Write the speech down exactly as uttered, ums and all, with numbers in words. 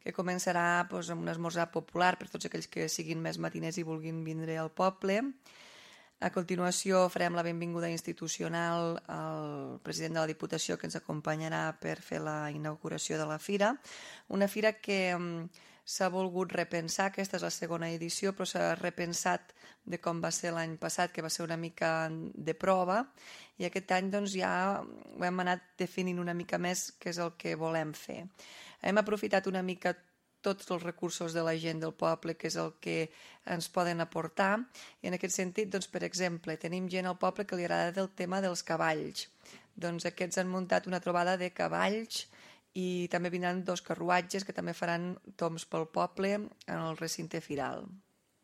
que començarà doncs, amb un esmorzar popular per tots aquells que siguin més matiners i vulguin vindre al poble. A continuació farem la benvinguda institucional al president de la Diputació que ens acompanyarà per fer la inauguració de la fira. Una fira que s'ha volgut repensar, aquesta és la segona edició, però s'ha repensat de com va ser l'any passat, que va ser una mica de prova, i aquest any doncs, ja ho hem anat definint una mica més què és el que volem fer. Hem aprofitat una mica tots els recursos de la gent del poble, que és el que ens poden aportar. I en aquest sentit, doncs, per exemple, tenim gent al poble que li agrada el tema dels cavalls. Doncs aquests han muntat una trobada de cavalls i també vindran dos carruatges que també faran tombs pel poble en el recinte firal.